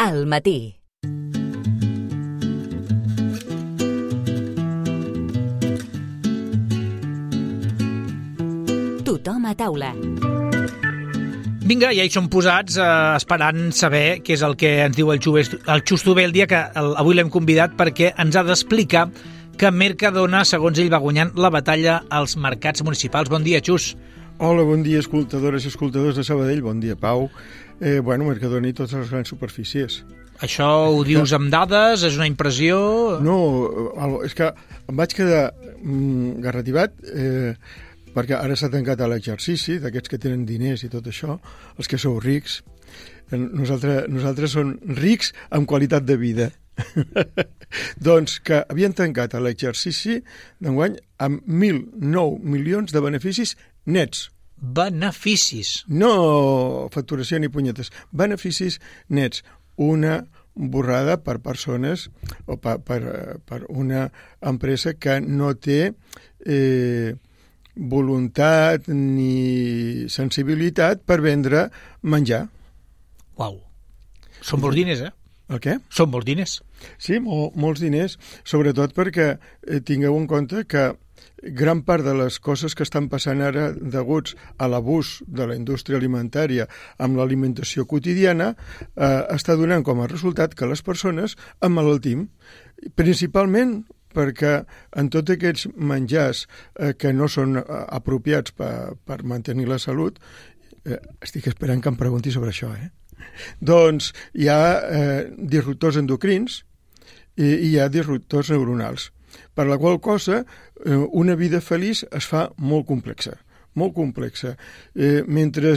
al matí. Tothom a taula. Vinga, ja hi som posats, esperant saber què és el que ens diu el Xusto Bé el dia que avui l'hem convidat perquè ens ha d'explicar que Mercadona, segons ell, va guanyant la batalla als mercats municipals. Bon dia, Xus. Hola, bon dia, escoltadores i escoltadors de Sabadell. Bon dia, Pau. Mercadona i totes les grans superfícies. Això ho dius amb dades? És una impressió? No, és que em vaig quedar garrativat perquè ara s'ha tancat l'exercici d'aquests que tenen diners i tot això, els que sou rics. Nosaltres som rics amb qualitat de vida. Doncs que havien tancat l'exercici d'enguany amb 1.009 milions de beneficis nets. Beneficis? No facturació ni punyetes. Beneficis nets. Una borrada per persones o per una empresa que no té voluntat ni sensibilitat per vendre menjar. Uau. Són molts diners, eh? El què? Són molts diners. Sí, molts diners, sobretot perquè tingueu en compte que gran part de les coses que estan passant ara deguts a l'abús de la indústria alimentària amb l'alimentació quotidiana està donant com a resultat que les persones emmalaltim, principalment perquè en tots aquests menjars que no són apropiats per mantenir la salut, estic esperant que em pregunti sobre això, doncs hi ha disruptors endocrins i hi ha disruptors neuronals, per la qual cosa una vida feliç es fa molt complexa, molt complexa. Mentre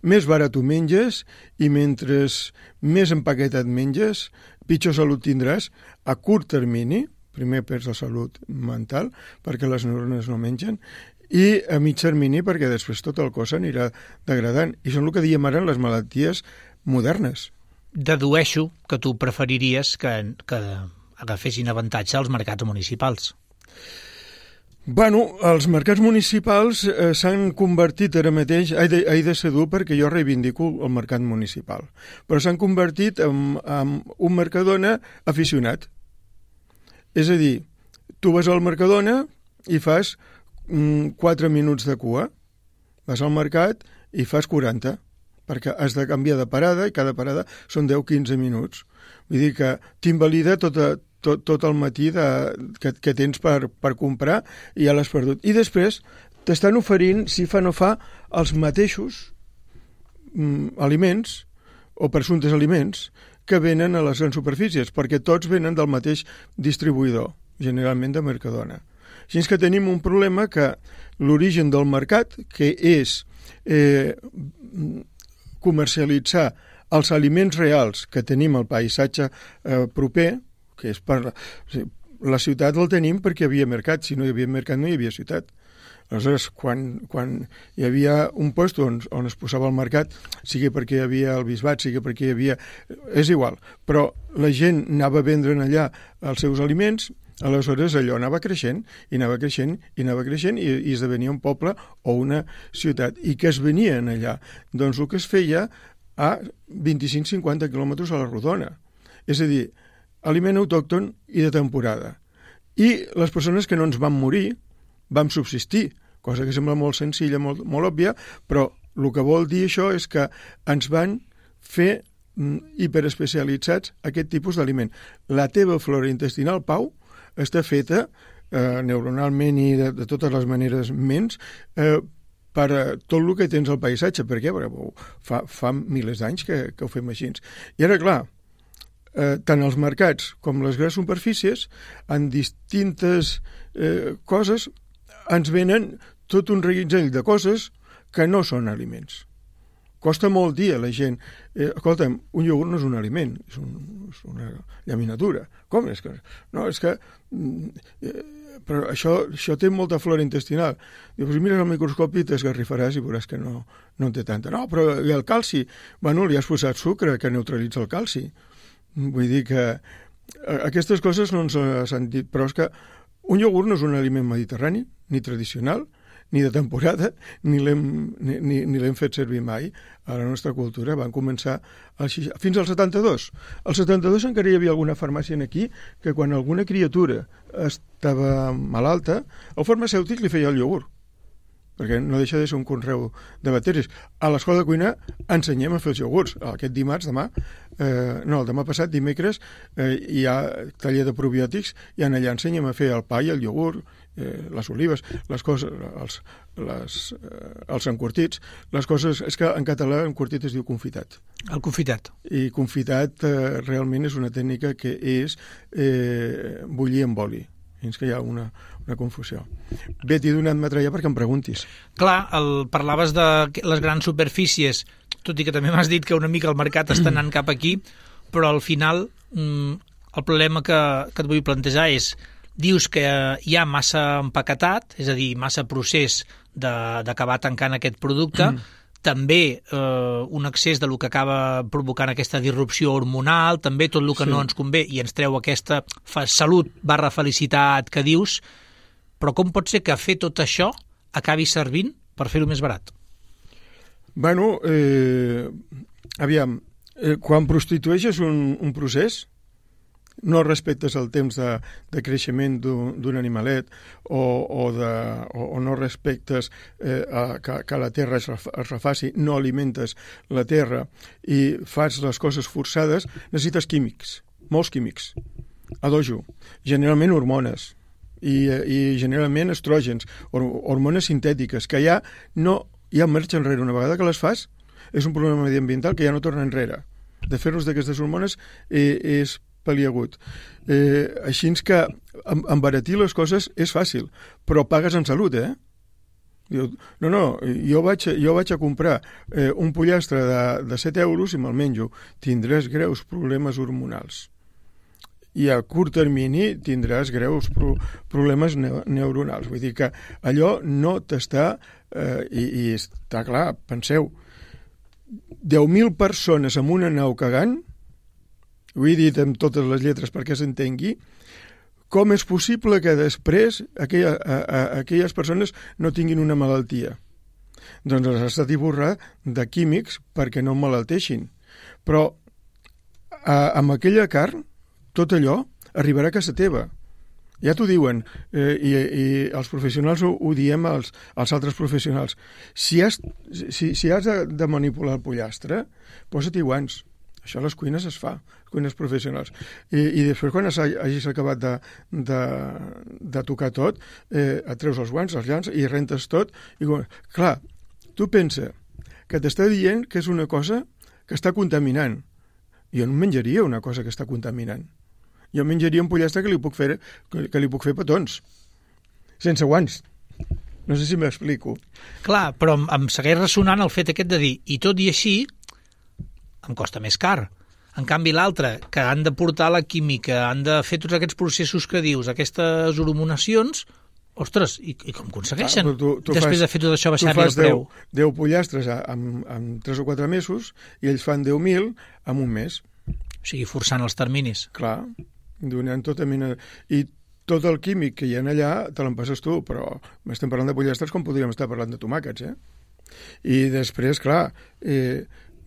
més barat ho menges i mentre més empaquetat menges, pitjor salut tindràs a curt termini. Primer perds la salut mental perquè les neurones no mengen i a mig termini perquè després tot el cos anirà degradant. I són el que diem ara les malalties modernes. Dedueixo que tu preferiries que agafessin avantatge als mercats municipals. Bueno, els mercats municipals s'han convertit ara mateix, he de ser dur perquè jo reivindico el mercat municipal, però s'han convertit en un Mercadona aficionat. És a dir, tu vas al Mercadona i fas 4 minuts de cua, vas al mercat i fas 40, perquè has de canviar de parada i cada parada són 10-15 minuts. Vull dir que t'invalida tot el matí que tens per comprar i ja l'has perdut. I després t'estan oferint, si fa no fa, els mateixos aliments o presumptes aliments que venen a les grans superfícies, perquè tots venen del mateix distribuïdor, generalment de Mercadona. Així que tenim un problema que l'origen del mercat, que és comercialitzar els aliments reals que tenim al paisatge proper, que és la ciutat el tenim perquè hi havia mercat, si no hi havia mercat no hi havia ciutat. Aleshores, quan hi havia un lloc on es posava el mercat, sigui perquè hi havia el bisbat, sigui perquè hi havia... És igual, però la gent anava a vendre allà els seus aliments, aleshores allò anava creixent, i anava creixent, i anava creixent, i esdevenia un poble o una ciutat. I què es venia allà? Doncs el que es feia a 25-50 quilòmetres a la rodona. És a dir, aliment autòcton i de temporada. I les persones que no ens van morir vam subsistir, cosa que sembla molt senzilla, molt òbvia, però el que vol dir això és que ens van fer hiperespecialitzats aquest tipus d'aliment. La teva flora intestinal, Pau, està feta neuronalment i de totes les maneres per tot el que tens al paisatge. Per què? Perquè fa milers d'anys que ho fem així. I ara, clar, tant els mercats com les grans superfícies, en distintes coses, ens venen tot un reguitzell de coses que no són aliments. Costa molt dir a la gent, escolta'm, un iogurt no és un aliment, és una llaminatura. Com és que? No, és que... però això té molta flora intestinal. Dius, mires al microscopi i t'esgarrifaràs i veuràs que no en té tanta. No, però i el calci? Bueno, li has posat sucre que neutralitza el calci. Vull dir que aquestes coses no ens han dit, però és que un iogurt no és un aliment mediterrani, ni tradicional, ni de temporada, ni l'hem fet servir mai a la nostra cultura. Van començar fins al 72. Al 72 encara hi havia alguna farmàcia aquí que quan alguna criatura estava malalta, el farmacèutic li feia el iogurt, perquè no deixa de ser un conreu de bacteris. A l'escola de cuina ensenyem a fer els iogurts. Aquest dimarts, el demà passat, dimecres, hi ha taller de probiòtics i allà ensenyem a fer el pa i el iogurt, les olives, les coses, els encurtits. Les coses, és que en català encurtit es diu confitat. El confitat. I confitat realment és una tècnica que és bullir amb oli. Fins que hi ha una confusió. Bé, t'he donat metralla perquè em preguntis. Clar, parlaves de les grans superfícies, tot i que també m'has dit que una mica el mercat està anant cap aquí, però al final el problema que et vull plantejar és, dius que hi ha massa empaquetat, és a dir, massa procés d'acabar tancant aquest producte, també un excés de lo que acaba provocant aquesta disrupció hormonal, també tot el que no ens convé i ens treu aquesta salut/felicitat que dius, però com pot ser que fer tot això acabi servint per fer-ho més barat? Bueno, aviam, quan prostitueixes un procés, no respectes el temps de creixement d'un animalet o no respectes que la terra es refaci, no alimentes la terra i fas les coses forçades, necessites químics, molts químics, a dojo, generalment hormones i generalment estrògens, hormones sintètiques, que ja no hi ha marxa enrere. Una vegada que les fas, és un problema mediambiental que ja no torna enrere. De fer-nos d'aquestes hormones és paliagut. Així que embaratir les coses és fàcil, però pagues en salut, Diu, jo vaig a comprar un pollastre de 7 euros i me'l menjo. Tindràs greus problemes hormonals. I a curt termini tindràs greus problemes neuronals. Vull dir que allò no t'està... I està clar, penseu, 10.000 persones en una nau cagant, ho he dit amb totes les lletres perquè s'entengui, com és possible que després aquelles persones no tinguin una malaltia? Doncs les has de tiborrar de químics perquè no emmalalteixin. Però amb aquella carn, tot allò arribarà a casa teva. Ja t'ho diuen, i els professionals ho diem als altres professionals. Si has de manipular el pollastre, posa-t'hi guants. Això a les cuines es fa, cuines professionals. I després, quan hagis acabat de tocar tot, et treus els guants, els llances i rentes tot. Clar, tu pensa que t'està dient que és una cosa que està contaminant. Jo no menjaria una cosa que està contaminant. Jo menjaria un pollastre que li puc fer petons, sense guants. No sé si m'explico. Clar, però em segueix ressonant el fet aquest de dir, i tot i així, em costa més car. En canvi, l'altre, que han de portar la química, han de fer tots aquests processos que dius, aquestes hormonacions, ostres, i com aconsegueixen? Després de fer tot això, baixar-li el preu. Tu fas 10 pollastres en 3 o 4 mesos i ells fan 10.000 en un mes. O sigui, forçant els terminis. Clar, donant tota mena... I tot el químic que hi ha allà te l'empasses tu, però estem parlant de pollastres com podríem estar parlant de tomàquets, I després, clar...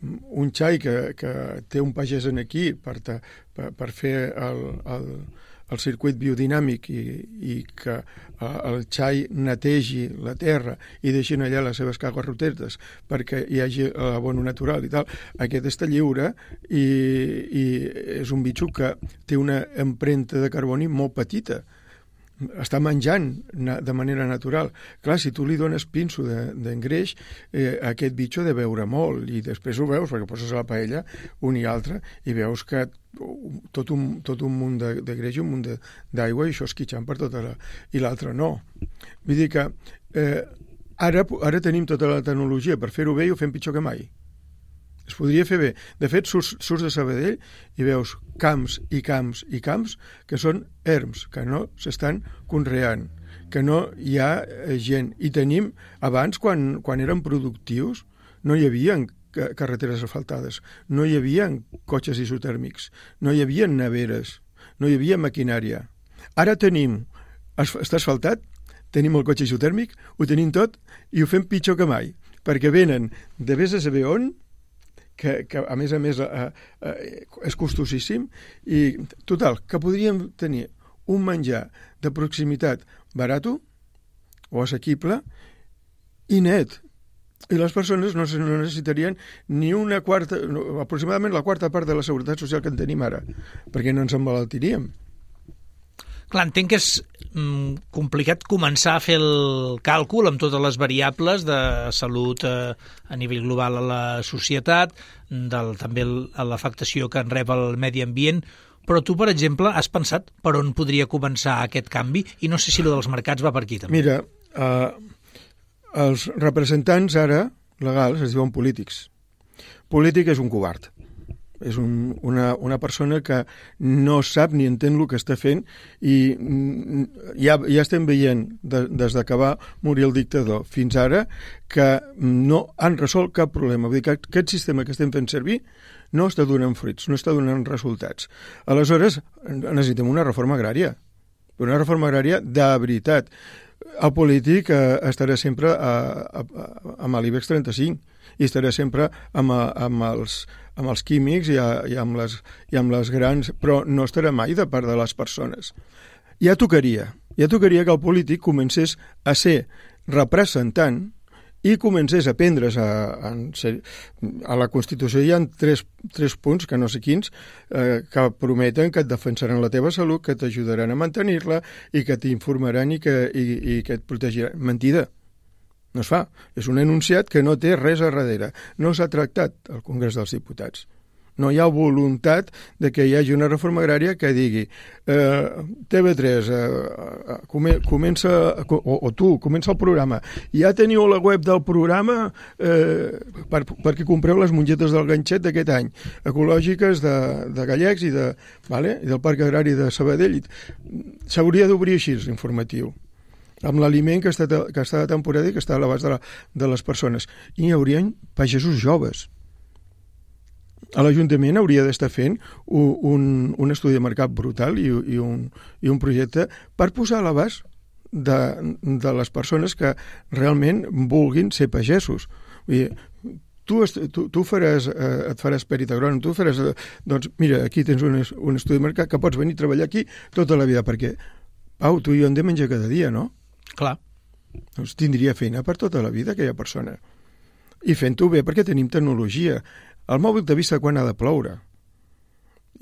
un xai que té un pagès aquí per fer el circuit biodinàmic i que el xai netegi la terra i deixin allà les seves cagarrotetes perquè hi hagi l'abono natural i tal, aquest està lliure i és un bitxo que té una empremta de carboni molt petita. Està menjant de manera natural. Clar, si tu li dones pinso d'engreix, aquest bitxo ha de beure molt, i després ho veus, perquè poses a la paella un i altre, i veus que tot un munt de greix i un munt d'aigua, i això esquitxant per tota la... I l'altre no. Vull dir que ara tenim tota la tecnologia per fer-ho bé i ho fem pitjor que mai. Es podria fer bé. De fet, surts de Sabadell i veus camps i camps i camps que són erms, que no s'estan conreant, que no hi ha gent. I tenim, abans, quan érem productius, no hi havia carreteres asfaltades, no hi havia cotxes isotèrmics, no hi havia neveres, no hi havia maquinària. Ara tenim, està asfaltat, tenim el cotxe isotèrmic, ho tenim tot i ho fem pitjor que mai, perquè venen de vés a saber on, que a més és costosíssim, i total, que podríem tenir un menjar de proximitat barato o assequible i net. I les persones no necessitarien ni una quarta, aproximadament la quarta part de la seguretat social que en tenim ara, perquè no ens emmalaltiríem. Clar, entenc que és complicat començar a fer el càlcul amb totes les variables de salut a nivell global a la societat, també a l'afectació que en rep el medi ambient, però tu, per exemple, has pensat per on podria començar aquest canvi? I no sé si el dels mercats va per aquí, també. Mira, els representants ara legals es diuen polítics. Polític és un covard. És una persona que no sap ni entén el que està fent i ja estem veient des que va morir el dictador fins ara que no han resolt cap problema. Vull dir que aquest sistema que estem fent servir no està donant fruits, no està donant resultats. Aleshores, necessitem una reforma agrària. Una reforma agrària de veritat. El polític estarà sempre amb l'IBEX 35 i estarà sempre amb els químics i amb les grans, però no estarà mai de part de les persones. Ja tocaria que el polític comencés a ser representant i comencés a prendre's a la Constitució. Hi ha tres punts, que no sé quins, que prometen que et defensaran la teva salut, que t'ajudaran a mantenir-la i que t'informaran i que et protegiran. Mentida. No es fa. És un enunciat que no té res a darrere. No s'ha tractat al Congrés dels Diputats. No hi ha voluntat de que hi hagi una reforma agrària que digui TV3 comença, o tu, comença el programa. Ja teniu la web del programa perquè compreu les mongetes del ganxet d'aquest any, ecològiques de Gallecs i del Parc Agrari de Sabadell. S'hauria d'obrir així l'informatiu, amb l'aliment que està de temporada i que està a l'abast de les persones. I hi haurien pagesos joves. A l'Ajuntament hauria d'estar fent un estudi de mercat brutal i un projecte per posar a l'abast de les persones que realment vulguin ser pagesos. Vull dir, tu et faràs perit agrònom, tu faràs... Doncs mira, aquí tens un estudi de mercat que pots venir a treballar aquí tota la vida, perquè, Pau, tu i jo hem de menjar cada dia, no? Clar. Doncs tindria feina per tota la vida aquella persona. I fent-ho bé perquè tenim tecnologia. El mòbil t'avisa quan ha de ploure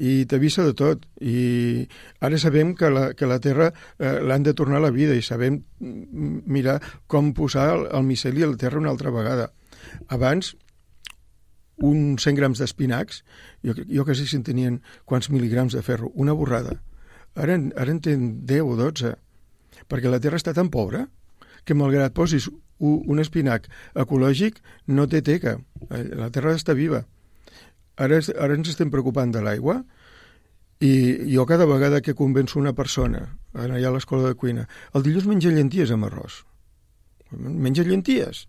i t'avisa de tot, i ara sabem que la Terra l'han de tornar a la vida i sabem mirar com posar el miceli a la Terra una altra vegada. Abans, uns 100 grams d'espinacs, jo quasi si en tenien quants mil·ligrams de ferro, una borrada. Ara en tenen 10 o 12, perquè la Terra està tan pobra que malgrat posis un espinac ecològic no té teca. La Terra està viva. Ara ens estem preocupant de l'aigua i jo cada vegada que convenço una persona allà a l'escola de cuina, el dilluns menja llenties amb arròs. Menja llenties.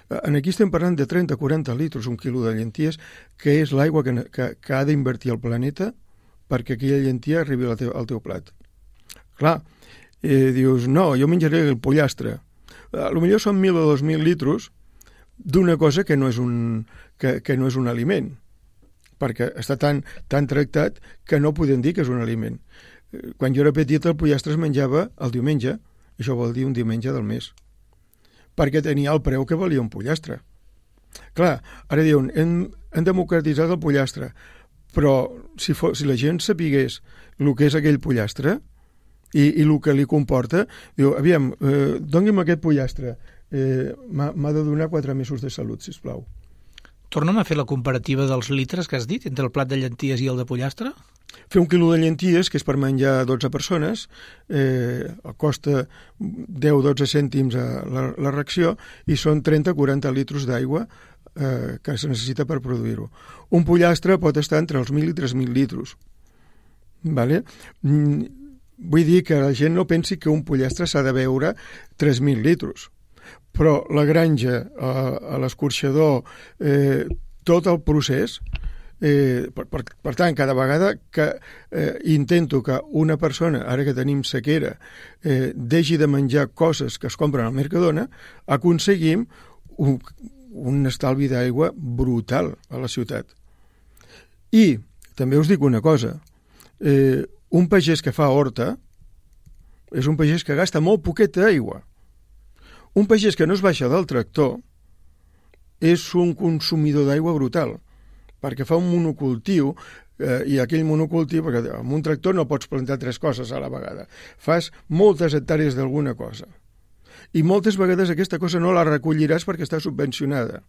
Aquí estem parlant de 30-40 litres, un quilo de llenties, que és l'aigua que ha d'invertir el planeta perquè aquella llentia arribi al teu plat. Clar, dius, no, jo menjaré el pollastre. Potser són 1.000 o 2.000 litres d'una cosa que no és un aliment, perquè està tan tractat que no podem dir que és un aliment. Quan jo era petit el pollastre es menjava el diumenge, això vol dir un diumenge del mes, perquè tenia el preu que valia un pollastre. Clar, ara diuen, hem democratitzat el pollastre, però si la gent sapigués el que és aquell pollastre i el que li comporta, diu, aviam, doni'm aquest pollastre, m'ha de donar 4 mesos de salut, sisplau. Torna'm a fer la comparativa dels litres que has dit entre el plat de llenties i el de pollastre? Fer 1 quilo de llenties, que és per menjar 12 persones, costa 10-12 cèntims la ració i són 30-40 litres d'aigua que es necessita per produir-ho. Un pollastre pot estar entre els 1.000 i 3.000 litres. Vale? Vull dir que la gent no pensi que un pollastre s'ha de beure 3.000 litres. Però la granja, l'escorxador, tot el procés Per tant, cada vegada que intento que una persona, ara que tenim sequera, deixi de menjar coses que es compren al Mercadona, aconseguim un estalvi d'aigua brutal a la ciutat. I també us dic una cosa, un pagès que fa horta és un pagès que gasta molt poqueta aigua. Un pagès que no es baixa del tractor és un consumidor d'aigua brutal, perquè fa un monocultiu, i aquell monocultiu, perquè amb un tractor no pots plantar 3 coses a la vegada, fas moltes hectàrees d'alguna cosa, i moltes vegades aquesta cosa no la recolliràs perquè està subvencionada.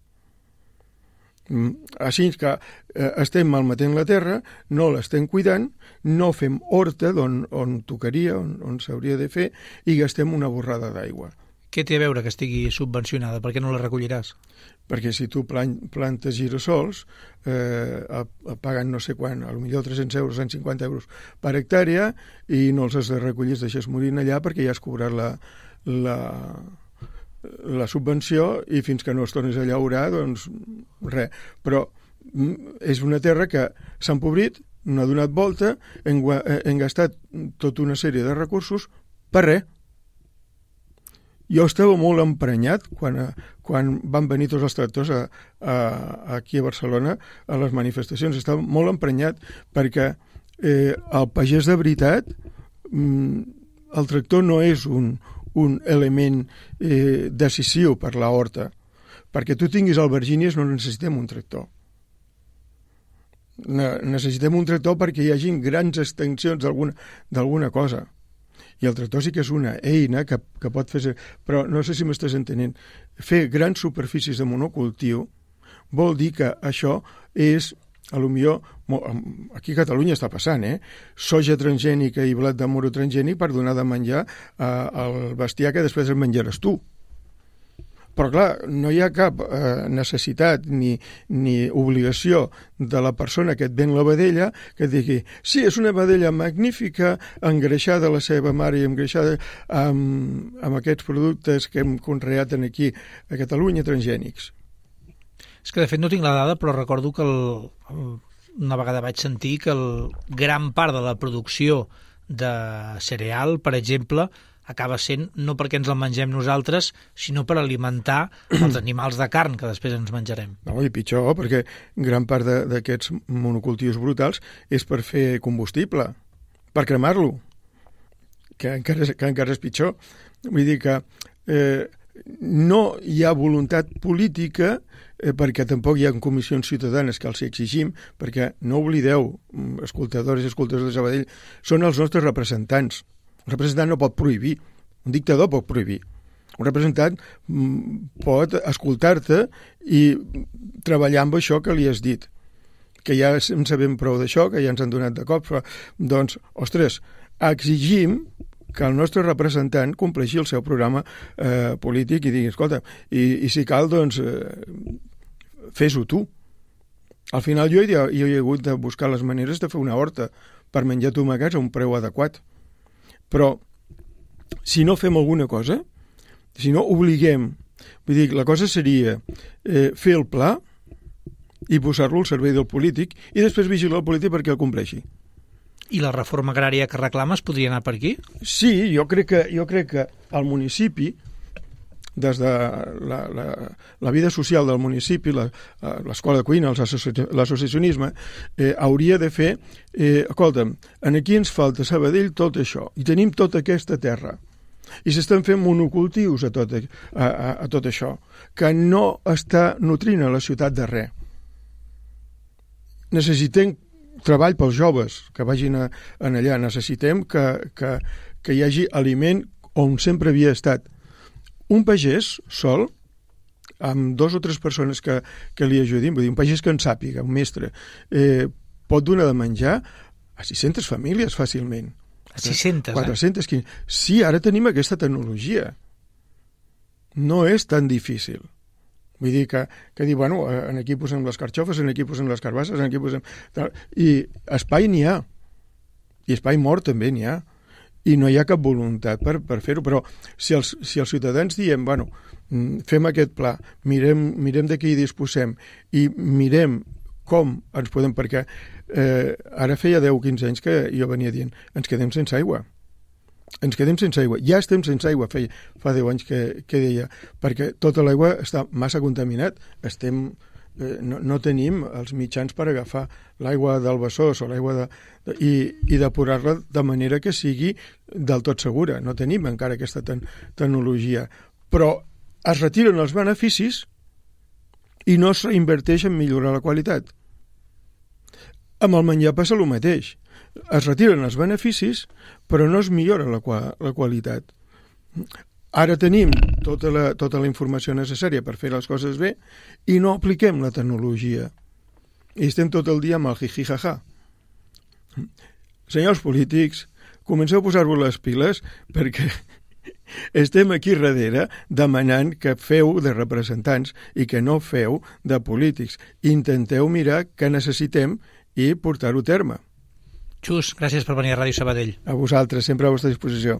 Així que estem malmetent la terra, no l'estem cuidant, no fem horta on tocaria, on s'hauria de fer, i gastem una borrada d'aigua. Què té a veure que estigui subvencionada? Per què no la recolliràs? Perquè si tu plantes girassols, paguen no sé quan, potser 300 euros, 150 euros per hectàrea, i no els has de recollir, els deixes morir allà perquè ja has cobrat la subvenció, i fins que no es tornis a llaurar, doncs res. Però és una terra que s'ha empobrit, no ha donat volta, hem gastat tota una sèrie de recursos per res. Jo estava molt emprenyat quan van venir tots els tractors aquí a Barcelona a les manifestacions. Estava molt emprenyat perquè el pagès de veritat, el tractor no és un element decisiu per la horta. Perquè tu tinguis albergínies no necessitem un tractor. Necessitem un tractor perquè hi hagi grans extensions d'alguna cosa. I el tractor sí que és una eina que pot fer... Però no sé si m'estàs entenent. Fer grans superfícies de monocultiu vol dir que això és, potser, aquí a Catalunya està passant, soja transgènica i blat de moro transgènic per donar de menjar al bestiar que després el menjaràs tu. Però, clar, no hi ha cap necessitat ni obligació de la persona que et ven la vedella que et digui, sí, és una vedella magnífica, engreixada la seva mare i engreixada amb aquests productes que hem conreat aquí a Catalunya, transgènics. És que, de fet, no tinc la dada, però recordo que una vegada vaig sentir que gran part de la producció de cereal, per exemple, acaba sent no perquè ens el mengem nosaltres, sinó per alimentar els animals de carn que després ens menjarem. No, i pitjor, perquè gran part d'aquests monocultius brutals és per fer combustible, per cremar-lo, que encara és pitjor. Vull dir que no hi ha voluntat política perquè tampoc hi ha comissions ciutadanes que els exigim, perquè no oblideu, escoltadors i escoltadors de Sabadell, són els nostres representants. Un representant no pot prohibir, un dictador pot prohibir. Un representant pot escoltar-te i treballar amb això que li has dit, que ja en sabem prou d'això, que ja ens han donat de cop. Doncs, ostres, exigim que el nostre representant compleixi el seu programa polític i digui, escolta, i si cal, doncs, fes-ho tu. Al final jo he hagut de buscar les maneres de fer una horta per menjar tomàquets a un preu adequat. Però si no fem alguna cosa, si no obliguem, vull dir, la cosa seria fer el pla i posar-lo al servei del polític i després vigilar el polític perquè el compleixi. I la reforma agrària que reclames podria anar per aquí? Sí, jo crec que el municipi, des de la vida social del municipi, l'escola de cuina, l'associacionisme, hauria de fer, escolta'm, aquí ens falta Sabadell tot això, i tenim tota aquesta terra, i s'estan fent monocultius a tot això, que no està nutrint a la ciutat de res. Necessitem treball pels joves que vagin allà, necessitem que hi hagi aliment on sempre havia estat. Un pagès sol, amb 2 o 3 persones que li ajudin, vull dir, un pagès que en sàpiga, un mestre, pot donar de menjar a 600 famílies fàcilment. A 600, 400, Sí, ara tenim aquesta tecnologia. No és tan difícil. Vull dir que dir, bueno, aquí posem les carxofes, aquí posem les carbasses, aquí posem... I espai n'hi ha. I espai mort també n'hi ha. I no hi ha cap voluntat per fer-ho, però si els ciutadans diem, bueno, fem aquest pla, mirem de què hi disposem i mirem com ens podem... Perquè ara feia 10 o 15 anys que jo venia dient ens quedem sense aigua. Ens quedem sense aigua. Ja estem sense aigua, fa 10 anys que deia, perquè tota l'aigua està massa contaminat. No tenim els mitjans per agafar l'aigua del Besòs o l'aigua i depurar-la de manera que sigui del tot segura. No tenim encara aquesta tecnologia. Però es retiren els beneficis i no es reinverteix en millorar la qualitat. Amb el menjar passa el mateix. Es retiren els beneficis, però no es millora la qualitat. Ara tenim tota la informació necessària per fer les coses bé i no apliquem la tecnologia. I estem tot el dia amb el jiji-jaja. Senyors polítics, comenceu a posar-vos les piles perquè estem aquí darrere demanant que feu de representants i que no feu de polítics. Intenteu mirar què necessitem i portar-ho a terme. Xus, gràcies per venir a Ràdio Sabadell. A vosaltres, sempre a vostra disposició.